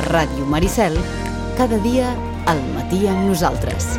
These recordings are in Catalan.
Ràdio Maricel, cada dia al matí amb nosaltres.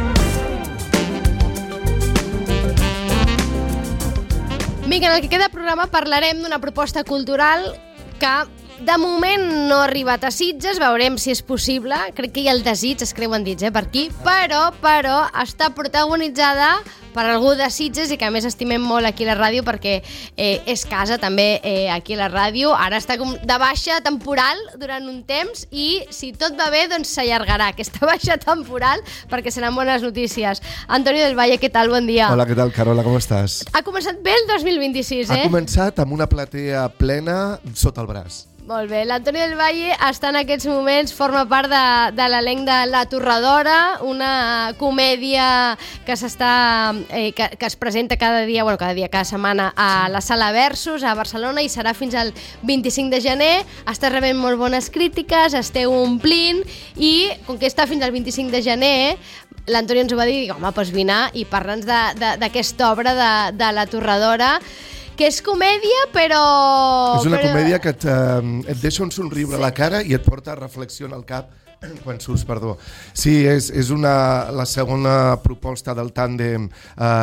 Vinga, en el que queda programa parlarem d'una proposta cultural que de moment no ha arribat a Sitges, veurem si és possible, crec que hi ha el desig, es creuen dits per aquí, però està protagonitzada per algú de Sitges i que a més estimem molt aquí a la ràdio perquè és casa també aquí a la ràdio, ara està com de baixa temporal durant un temps i si tot va bé doncs s'allargarà aquesta baixa temporal perquè seran bones notícies. Antonio del Valle, què tal? Bon dia. Hola, què tal, Carola, com estàs? Ha començat bé el 2026, Ha començat amb una platea plena sota el braç. Molt bé, l'Antonio del Valle està en aquests moments, forma part de l'elenc de La Torradora, una comèdia que que es presenta cada setmana a la Sala Versus a Barcelona i serà fins al 25 de gener. Està rebent molt bones crítiques, esteu omplint i com que està fins al 25 de gener, l'Antonio ens ho va dir, home, doncs vine i parla'ns d'aquesta obra de La Torradora, que és comèdia, però... És una comèdia que et deixa un somriure a la cara i et porta a reflexió al cap quan surts, perdó. Sí, és la segona proposta del tàndem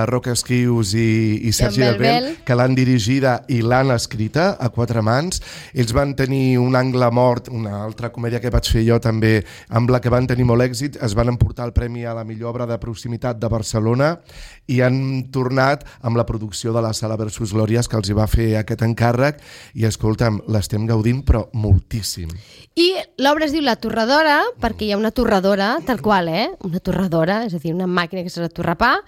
Roca Esquius i Sergi Albel, que l'han dirigida i l'han escrita a quatre mans. Ells van tenir Un angle mort, una altra comèdia que vaig fer jo també, amb la que van tenir molt èxit. Es van emportar el premi a la millor obra de proximitat de Barcelona i han tornat amb la producció de la Sala Versus Glòries, que els hi va fer aquest encàrrec, i escolta'm, l'estem gaudint però moltíssim. I l'obra es diu La Torradora perquè hi ha una torradora, tal qual, una torradora, és a dir, una màquina que s'ha de torrar pa,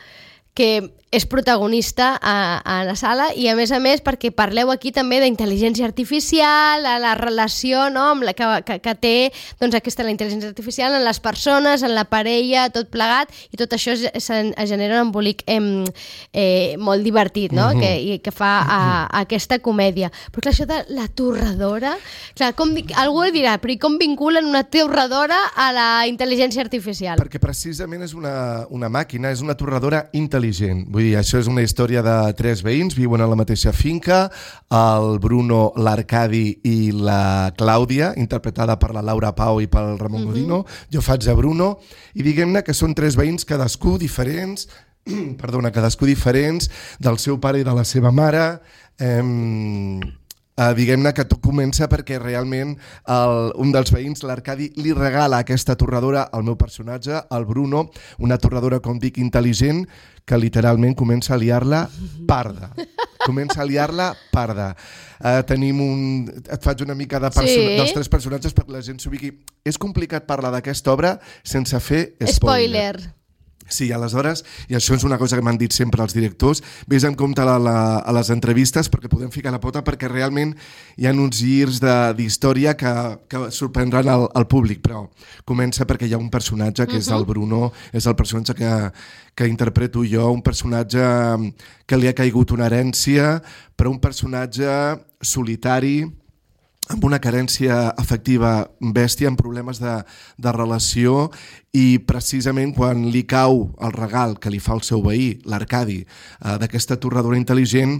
que és protagonista a la sala i a més perquè parleu aquí també d'intel·ligència artificial, a la relació, no, amb la que té doncs, la intel·ligència artificial en les persones, en la parella, tot plegat, i tot això es genera un embolic molt divertit, no? que fa aquesta comèdia. Però clar, això de la torradora, clar, algú dirà, però com vinculen una torradora a la intel·ligència artificial? Perquè precisament és una màquina, és una torradora intel·ligent. Vull dir, això és una història de tres veïns, viuen a la mateixa finca, el Bruno, l'Arcadi i la Clàudia, interpretada per la Laura Pau i pel Ramon Godino. Jo faig de Bruno, i diguem-ne que són tres veïns, cadascú diferents, del seu pare i de la seva mare. Diguem-ne que tot comença perquè realment un dels veïns, l'Arcadi, li regala aquesta torradora al meu personatge, el Bruno, una torradora, com dic, intel·ligent, que literalment comença a liar-la parda. Et faig una mica dels tres personatges perquè la gent s'ubiqui. És complicat parlar d'aquesta obra sense fer spoiler. Sí, aleshores, i això és una cosa que m'han dit sempre els directors, vés en compte a les entrevistes perquè podem ficar la pota, perquè realment hi ha uns girs d'història que sorprendran al públic, però comença perquè hi ha un personatge que és el Bruno, és el personatge que interpreto jo, un personatge que li ha caigut una herència, però un personatge solitari, amb una carència afectiva bèstia, amb problemes de relació, i precisament quan li cau el regal que li fa el seu veí, l'Arcadi, d'aquesta torradora intel·ligent,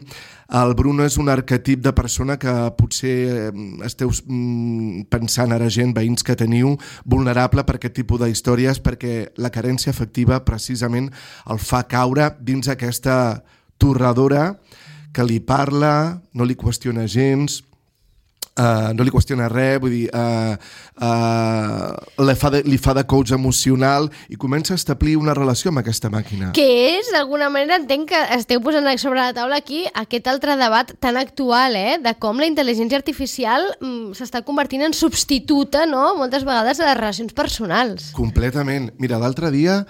el Bruno és un arquetip de persona que potser esteu pensant ara, gent, veïns que teniu, vulnerable per aquest tipus d'històries, perquè la carència afectiva precisament el fa caure dins aquesta torradora que li parla, no li qüestiona gens, no li qüestiona res, vull dir, li fa de coach emocional i comença a establir una relació amb aquesta màquina. Que és, d'alguna manera, entenc que esteu posant sobre la taula aquí aquest altre debat tan actual, de com la intel·ligència artificial s'està convertint en substituta, no?, moltes vegades a les relacions personals. Completament. Mira, l'altre dia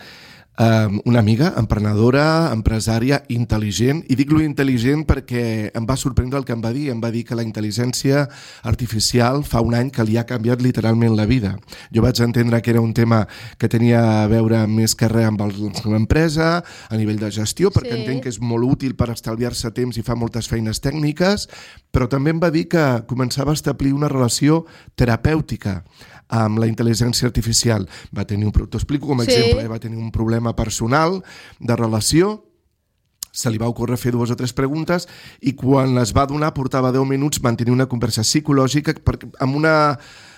una amiga, emprenedora, empresària, intel·ligent, i dic lo intel·ligent perquè em va sorprendre el que em va dir que la intel·ligència artificial fa un any que li ha canviat literalment la vida. Jo vaig entendre que era un tema que tenia a veure més que res amb l'empresa, a nivell de gestió, perquè entenc que és molt útil per estalviar-se temps i fa moltes feines tècniques, però també em va dir que començava a establir una relació terapèutica amb la intel·ligència artificial. T'ho explico com a exemple, va tenir un problema personal de relació, se li va ocórrer fer 2 o 3 preguntes i quan les va donar portava 10 minuts mantenir una conversa psicològica amb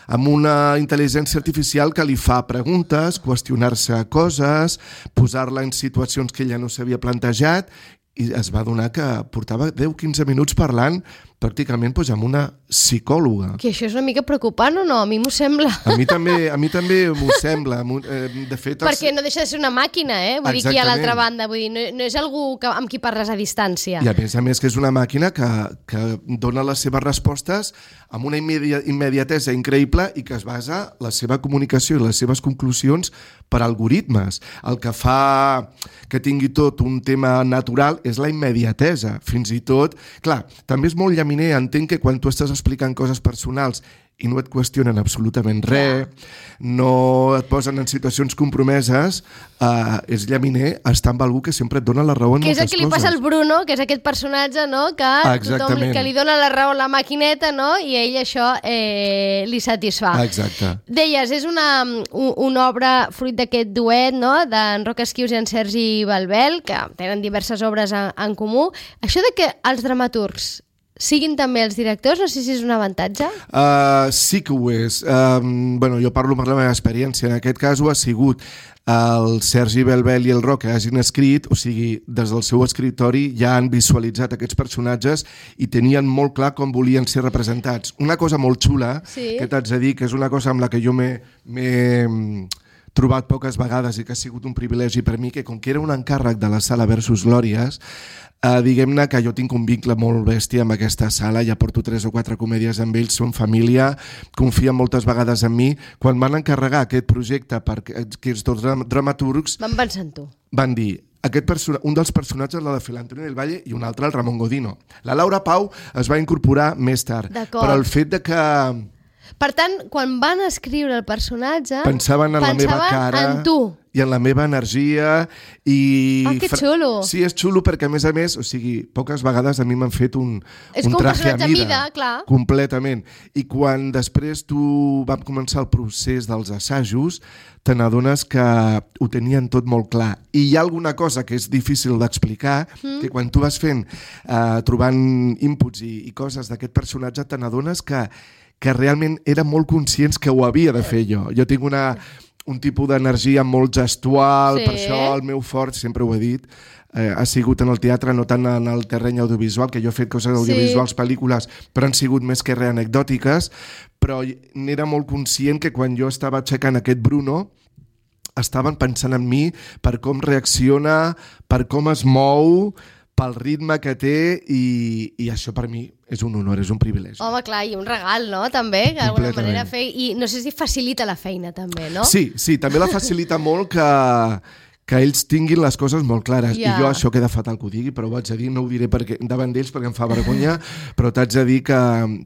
amb una intel·ligència artificial que li fa preguntes, qüestionar-se coses, posar-la en situacions que ella no s'havia plantejat, i es va adonar que portava 10-15 minuts parlant pràcticament amb una psicòloga. Que això és una mica preocupant o no? A mi m'ho sembla. A mi també m'ho sembla. De fet, perquè no deixa de ser una màquina, Vull dir, aquí a l'altra banda. Vull dir, no és algú amb qui parles a distància. I a més que és una màquina que dona les seves respostes amb una immediatesa increïble i que es basa la seva comunicació i les seves conclusions per algoritmes. El que fa que tingui tot un tema natural és la immediatesa. Fins i tot, clar, també és molt llaminer, entenc que quan tu estàs explicant coses personals i no et qüestionen absolutament res, no et posen en situacions compromeses, és llaminer estar amb algú que sempre et dona la raó en moltes coses. Que és el que li passa al Bruno, que és aquest personatge, no? Que li dona la raó a la maquineta, no? I ell això li satisfà. Exacte. Deies, és una obra fruit d'aquest duet, no? D'en Roc Esquius i en Sergi Balbel, que tenen diverses obres en comú. Això de que els dramaturgs siguin també els directors, no sé si és un avantatge? Sí que ho és. Jo parlo per la meva experiència. En aquest cas ho ha sigut el Sergi Balbel i el Roc que hagin escrit, o sigui, des del seu escriptori ja han visualitzat aquests personatges i tenien molt clar com volien ser representats. Una cosa molt xula, que t'haig de dir, que és una cosa amb la que jo m'he trobat poques vegades i que ha sigut un privilegi per mi, que com que era un encàrrec de la Sala Versus Glòries, diguem-ne que jo tinc un vincle molt bèstia amb aquesta sala, ja porto 3 o 4 comèdies amb ells, són família, confien moltes vegades en mi. Quan van encarregar aquest projecte per aquests dos dramaturgs, van pensar en tu. Van dir, un dels personatges l'ha de fer l'Antonio del Valle i un altre el Ramon Godino. La Laura Pau es va incorporar més tard, però el fet de que... Per tant, quan van escriure el personatge, pensaven en la meva cara, en tu i en la meva energia i... que xulo! Sí, és xulo perquè, a més, o sigui, poques vegades a mi m'han fet un traje a mida, clar. Completament. I quan després tu vam començar el procés dels assajos, te n'adones que ho tenien tot molt clar. I hi ha alguna cosa que és difícil d'explicar, que quan tu vas fent, trobant inputs i coses d'aquest personatge, te n'adones que realment eren molt conscients que ho havia de fer jo. Jo tinc un tipus d'energia molt gestual, per això el meu fort, sempre ho he dit, ha sigut en el teatre, no tant en el terreny audiovisual, que jo he fet coses audiovisuals, pel·lícules, però han sigut més que res anecdòtiques, però n'era molt conscient que quan jo estava aixecant aquest Bruno, estaven pensant en mi per com reacciona, per com es mou, pel ritme que té, i això per mi és un honor, és un privilegi. Home, clar, i un regal, no?, també, que d'alguna manera i no sé si facilita la feina, també, no? Sí, també la facilita molt que ells tinguin les coses molt clares. I jo això queda fatal que ho digui, però ho haig de dir, no ho diré davant d'ells perquè em fa vergonya, però t'haig de dir que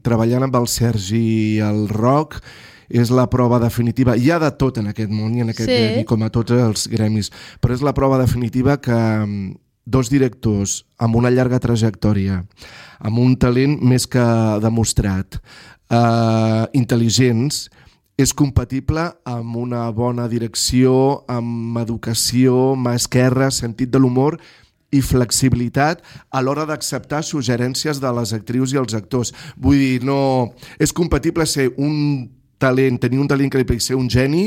treballant amb el Sergi i el Roc és la prova definitiva. Hi ha de tot en aquest món i en aquest gremi, com a tots els gremis, però és la prova definitiva que dos directors amb una llarga trajectòria, amb un talent més que demostrat, intel·ligents, és compatible amb una bona direcció, amb educació, mà esquerra, sentit de l'humor i flexibilitat a l'hora d'acceptar suggerències de les actrius i els actors. Vull dir, no és compatible ser tenir un talent increïble i ser un geni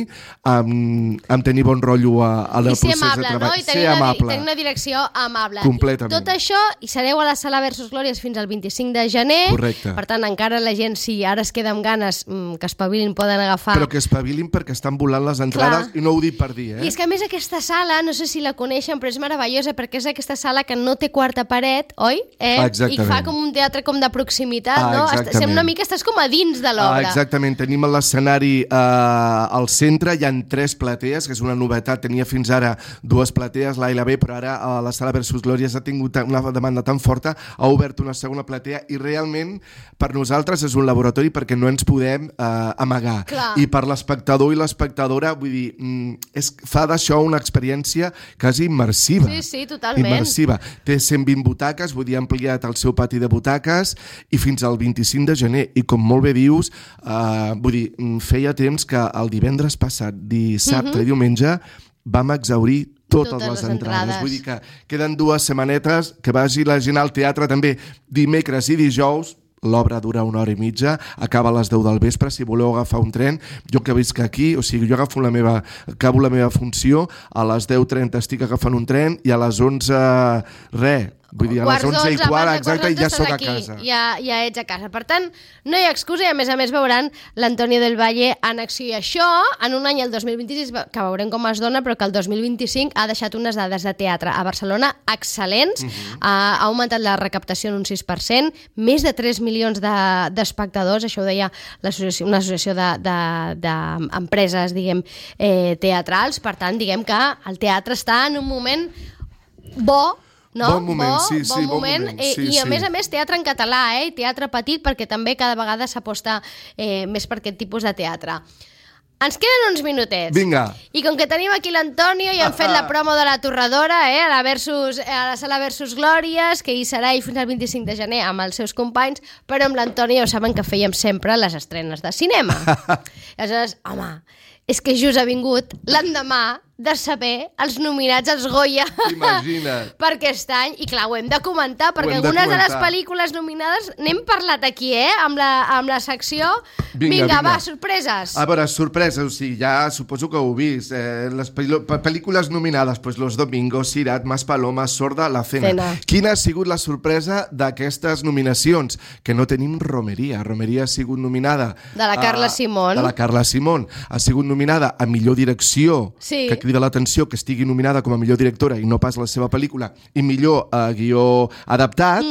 amb tenir bon rotllo al procés de treball. I ser amable, no? I tenir una direcció amable. Completament. Tot això, i sereu a la Sala Versus Glòries fins al 25 de gener. Correcte. Per tant, encara la gent, si ara es queda amb ganes, que espavilin, poden agafar... Però que espavilin perquè estan volant les entrades, i no ho dic per dir, I és que a més aquesta sala, no sé si la coneixen, però és meravellosa perquè és aquesta sala que no té quarta paret, oi? Exactament. I fa com un teatre com de proximitat, no? Exactament. Una mica estàs com a dins de l'obra. Exactament. Tenim l'escenari al centre, hi ha 3 platees, que és una novetat. Tenia fins ara 2 platees, l'A i la B, però ara a la Sala Versus Glòries ha tingut una demanda tan forta, ha obert una segona platea i realment per nosaltres és un laboratori perquè no ens podem amagar. Clar. I per l'espectador i l'espectadora, vull dir, fa d'això una experiència quasi immersiva. Sí, totalment. Immersiva. Té 120 butaques, vull dir, ha ampliat el seu pati de butaques i fins al 25 de gener. I com molt bé dius, vull dir, feia temps que el divendres passat, dissabte i diumenge, vam exhaurir totes les entrades. Vull dir que queden 2 setmanetes, que vagi la gent al teatre també dimecres i dijous, l'obra dura 1 hora i mitja, acaba a les 10 del vespre, si voleu agafar un tren, jo que visc aquí, o sigui, jo acabo la meva funció, a les 10:30 estic agafant un tren i a les 11, vull dir, a les 11:15, exacte, i ja soc a casa. Ja ets a casa. Per tant, no hi ha excusa i a més veuran l'Antonio del Valle en acció. I això, en un any, el 2026, que veurem com es dona, però que el 2025 ha deixat unes dades de teatre a Barcelona excel·lents, ha augmentat la recaptació en un 6%, més de 3 milions d'espectadors, això ho deia una associació d'empreses, diguem, teatrals. Per tant, diguem que el teatre està en un moment bo, no? Bon moment, bon moment. I a més teatre en català, i teatre petit, perquè també cada vegada s'aposta més per aquest tipus de teatre. Ens queden uns minutets. Vinga. I com que tenim aquí l'Antonio i hem fet la promo de la Torradora, a la sala Versus Glòries, que hi serà fins al 25 de gener amb els seus companys, però amb l'Antonio ja saben que fèiem sempre les estrenes de cinema. Aleshores, home, és que just ha vingut l'endemà de saber els nominats als Goya. Imagina't. Per aquest any, i clar, ho hem de comentar, perquè algunes de les pel·lícules nominades n'hem parlat aquí, amb la secció. Vinga, va, sorpreses. A veure, sorpreses, o sigui, ja suposo que ho heu vist. Les pel·lícules nominades, pues Los Domingos, Sirat, Maspalomas, Sorda, La Cena. Quina ha sigut la sorpresa d'aquestes nominacions? Que no tenim Romeria. Romeria ha sigut nominada... De la Carla Simón. De la Carla Simón. Ha sigut nominada a millor direcció, que crida l'atenció que estigui nominada com a millor directora i no pas la seva pel·lícula, i millor guió adaptat,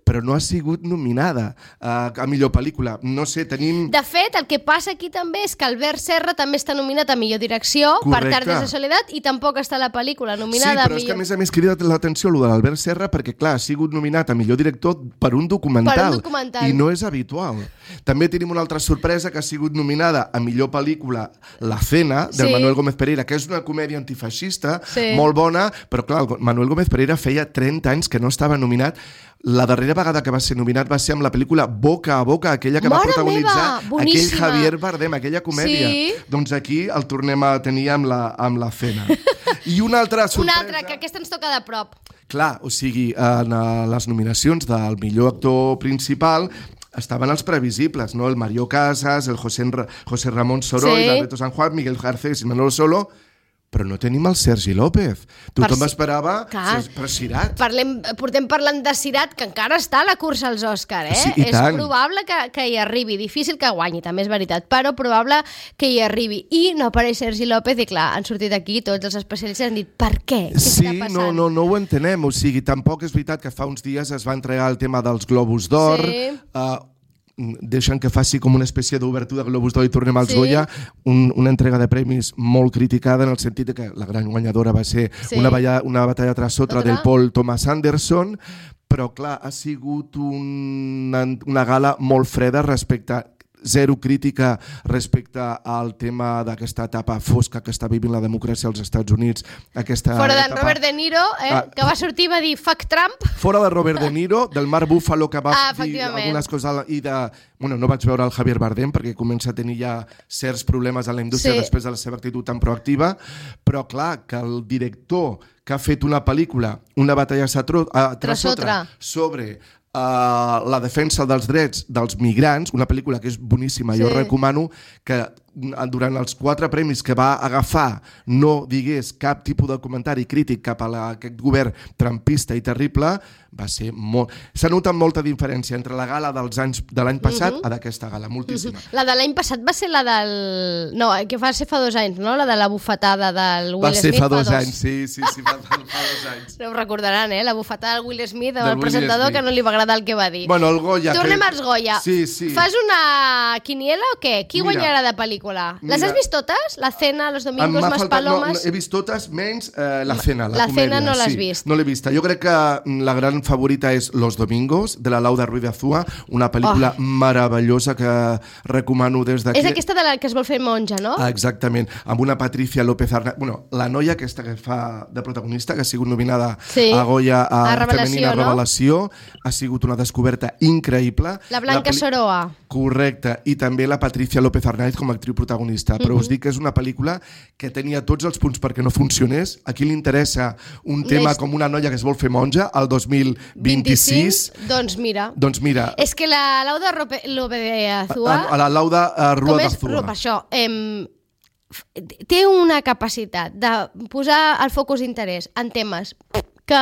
però no ha sigut nominada a millor pel·lícula. No sé, tenim... De fet, el que passa aquí també és que Albert Serra també està nominat a millor direcció per Tardes de Soledat i tampoc està la pel·lícula nominada a millor... Sí, però és que a més crida l'atenció el de l'Albert Serra perquè, clar, ha sigut nominat a millor director per un documental. I no és habitual. També tenim una altra sorpresa que ha sigut nominada a millor pel·lícula La Cena, del Manuel Gómez Pereira, que és una comèdia antifeixista, molt bona, però clar, el Manuel Gómez Pereira feia 30 anys que no estava nominat. La darrera vegada que va ser nominat va ser amb la pel·lícula Boca a Boca, aquella que va protagonitzar aquell Javier Bardem, aquella comèdia. Doncs aquí el tornem a tenir amb la Cena. I una altra sorpresa... Una altra, que aquesta ens toca de prop. Clar, o sigui, en les nominacions del millor actor principal estaven els previsibles, no? El Mario Casas, el José Ramón Soroll, Alberto San Juan, Miguel Garcés i Manolo Solo, però no tenim el Sergi López. Tothom esperava per Sirat. Portem parlant de Sirat, que encara està a la cursa als Òscar, Sí, és probable que hi arribi. Difícil que guanyi, també és veritat, però probable que hi arribi. I no apareix Sergi López i clar, han sortit aquí tots els especialistes i han dit per què? Què està passant? No ho entenem. O sigui, tampoc és veritat que fa uns dies es va entregar el tema dels Globus d'Or, deixen que faci com una espècie d'obertura de Globus d'Or i tornem als Goya, una entrega de premis molt criticada en el sentit que la gran guanyadora va ser una batalla tras otra del Paul Thomas Anderson, però clar, ha sigut una gala molt freda respecte zero crítica respecte al tema d'aquesta etapa fosca que està vivint la democràcia als Estats Units. Fora de Robert De Niro, que va sortir i va dir fuck Trump. Fora de Robert De Niro, del Mark Ruffalo que va dir algunes coses i de... Bueno, no vaig veure el Javier Bardem perquè comença a tenir ja certs problemes a la indústria després de la seva actitud tan proactiva, però clar, que el director que ha fet una pel·lícula, una batalla tras otra, sobre la defensa dels drets dels migrants, una pel·lícula que és boníssima, jo recomano que durant els 4 premis que va agafar no digués cap tipus de comentari crític cap a aquest govern trumpista i terrible, va ser molt... S'ha notat molta diferència entre la gala de l'any passat a d'aquesta gala, moltíssima. La de l'any passat va ser la del... No, que va ser fa 2 anys, no? La de la bufetada del Will Smith. Va ser fa 2 anys, sí, fa 2 anys. No ho recordaran, la bufetada del Will Smith, el presentador, que no li va agradar el que va dir. Bueno, el Goya... Tornem als Goya. Sí. Fas una quiniela o què? Qui guanyarà de pel·lícula? Les has vist totes? La Cena, Los Domingos, Maspalomas... No, he vist totes, menys La Cena, la comèdia. La Cena no l'has vist. No l'he vista. Jo crec que la gran favorita és Los Domingos, de la Lauda Ruiz de Azúa, una pel·lícula meravellosa que recomano des d'aquí. És aquesta de la que es vol fer monja, no? Exactament, amb una Patricia López Arnaiz. Bueno, la noia aquesta que fa de protagonista, que ha sigut nominada a Goya a Femenina Revelació, ha sigut una descoberta increïble. La Blanca Soroa. Correcte, i també la Patricia López Arnaiz com a actriu l'actriu protagonista, però us dic que és una pel·lícula que tenia tots els punts perquè no funcionés. A qui li interessa un tema com una noia que es vol fer monja al 2026? Doncs mira. És que la Lauda López-Azúa... La Lauda Rua d'Azúa. Per això, té una capacitat de posar el focus d'interès en temes que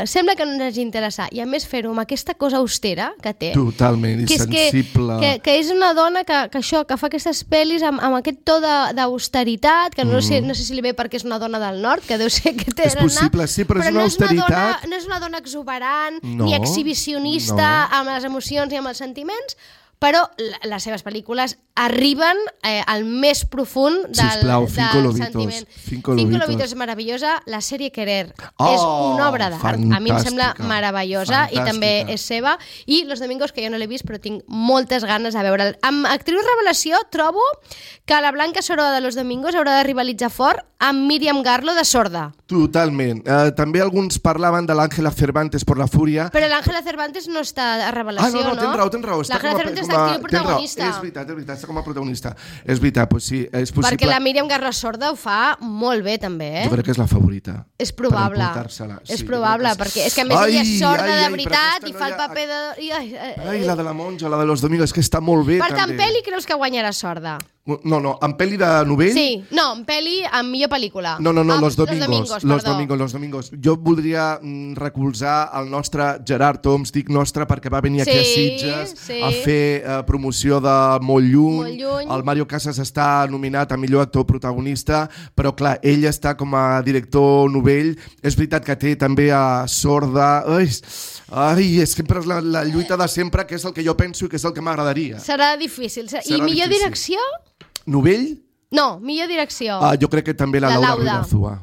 sembla que no ens hagi interessat, i a més fer-ho amb aquesta cosa austera que té. Totalment, i sensible. Que és una dona que fa aquestes pel·lis amb aquest to d'austeritat, que no sé si li ve perquè és una dona del nord, que deu ser que té... És possible, sí, però és una austeritat... No és una dona exuberant, ni exhibicionista amb les emocions i amb els sentiments, però les seves pel·lícules arriben al més profund del sentiment. Cinco Lobitos és meravellosa. La sèrie Querer és una obra d'art. A mi em sembla meravellosa i també és seva. I Los Domingos, que jo no l'he vist, però tinc moltes ganes de veure'l. Amb actriu revelació trobo que la Blanca Soroa de Los Domingos haurà de rivalitzar fort amb Míriam Garlo de Sorda. Totalment. També alguns parlaven de l'Àngela Cervantes por la Fúria. Però l'Àngela Cervantes no està a revelació, no? Tens raó. L'Àngela Cervantes és l'actriu protagonista. És veritat, està com a protagonista. És veritat, doncs sí, és possible. Perquè la Míriam Garlo Sorda ho fa molt bé, també, Jo crec que és la favorita. És probable. És probable, perquè és que a més ella és sorda de veritat i fa el paper de... Ai, la de la monja, la de Los Domingos, que està molt bé, també. Per tant, pel·li creus que guanyarà Sorda? No, en pel·li de novell? Sí, no, en pel·li amb millor pel·lícula. No, Los Domingos. Jo voldria recolzar el nostre Gerard Oms, dic nostre perquè va venir aquí a Sitges a fer promoció de Molt lluny. El Mario Casas està nominat a millor actor protagonista, però clar, ell està com a director novell. És veritat que té també a Sorda... Ai, és sempre la lluita de sempre, que és el que jo penso i que és el que m'agradaria. Serà difícil. I millor direcció? Novell? No, millor direcció. Jo crec que també la Laura Ruiz-Azúa.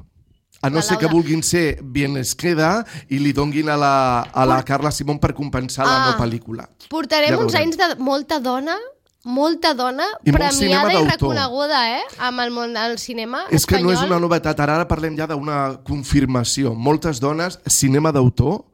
A no ser que vulguin ser Bien les queda i li donguin a la Carla Simón per compensar la no pel·lícula. Portarem uns anys de molta dona premiada i reconeguda amb el món del cinema espanyol. És que no és una novetat, ara parlem ja d'una confirmació. Moltes dones, cinema d'autor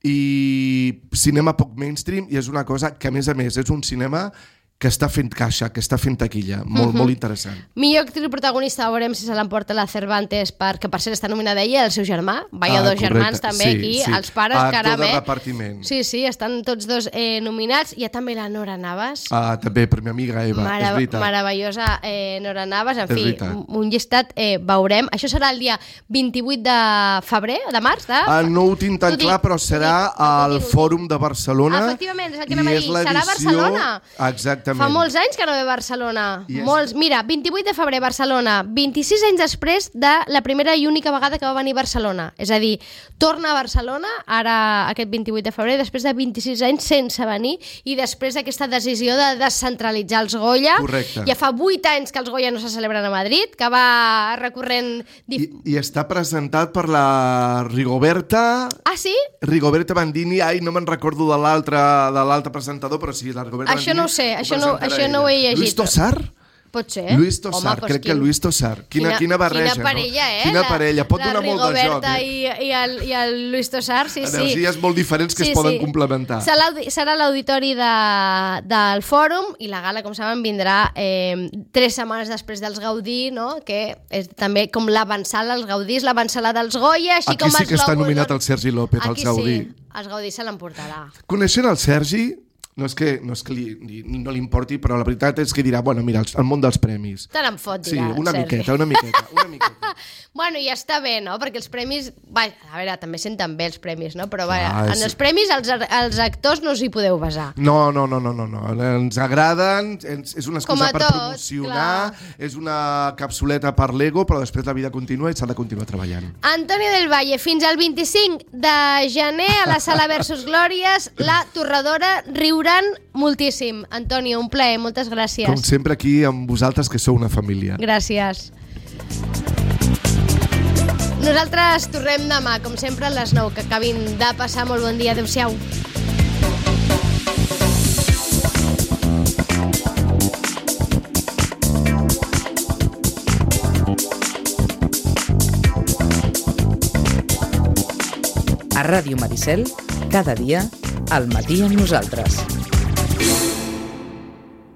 i cinema poc mainstream, i és una cosa que a més és un cinema que està fent caixa, que està fent taquilla. Molt interessant. Millor actriu protagonista, veurem si se l'emporta la Cervantes, perquè per cert està nominada ella i el seu germà. Vaya dos germans també aquí, els pares, caram. Actor de repartiment. Sí, estan tots dos nominats. Hi ha també la Nora Navas. També, per mi amiga Eva, és veritat. Meravellosa Nora Navas. En fi, un llistat veurem. Això serà el dia 28 de febrer, de març? No ho tinc tan clar, però serà al Fòrum de Barcelona. Efectivament, és el que anem a dir. Serà a Barcelona. Exactament. Fa molts anys que no ve a Barcelona. Molts. Mira, 28 de febrer, Barcelona. 26 anys després de la primera i única vegada que va venir a Barcelona. És a dir, torna a Barcelona, ara aquest 28 de febrer, després de 26 anys sense venir, i després d'aquesta decisió de descentralitzar els Goya. Correcte. Ja fa 8 anys que els Goya no se celebren a Madrid, que va recorrent... I està presentat per la Rigoberta... Ah, sí? Rigoberta Bandini. Ai, no me'n recordo de l'altre presentador, però sí, la Rigoberta Bandini. Això no ho sé, això no ho he llegit. Luis Tosar? Pot ser. Luis Tosar, crec que Luis Tosar. Quina barreja, quina parella, no? Quina parella, pot donar molt de joc. La Rigoberta i el Luis Tosar, sí. Energies molt diferents que es poden complementar. Serà l'auditori del Fòrum, i la gala, com saben, vindrà 3 setmanes després dels Gaudí, no? Que és també com l'avançala als Gaudís, l'avançala dels Goya, així com els Globus. Aquí sí que està nominat el Sergi López, als Gaudí. Aquí sí, els Gaudí se l'emportarà. Coneixent el Sergi... No és que no li importi, però la veritat és que dirà, bueno, mira, el món dels premis. Te n'en fot, dirà. Sí, una miqueta. Bueno, ja està bé, no? Perquè els premis... Vaja, a veure, també senten bé els premis, no? Però vaja, en els premis els actors no us hi podeu basar. No. Ens agraden, és una excusa per promocionar, és una capsuleta per l'ego, però després la vida continua i s'ha de continuar treballant. Antonio del Valle, fins al 25 de gener a la Sala Versus Glòries, La Torradora riurà moltíssim. Antonio, un plaer, moltes gràcies. Com sempre aquí amb vosaltres, que sou una família. Gràcies. Nosaltres tornem demà, com sempre, a les 9. Que acabin de passar molt bon dia. Adéu-siau. A Ràdio Maricel, cada dia, al matí amb nosaltres.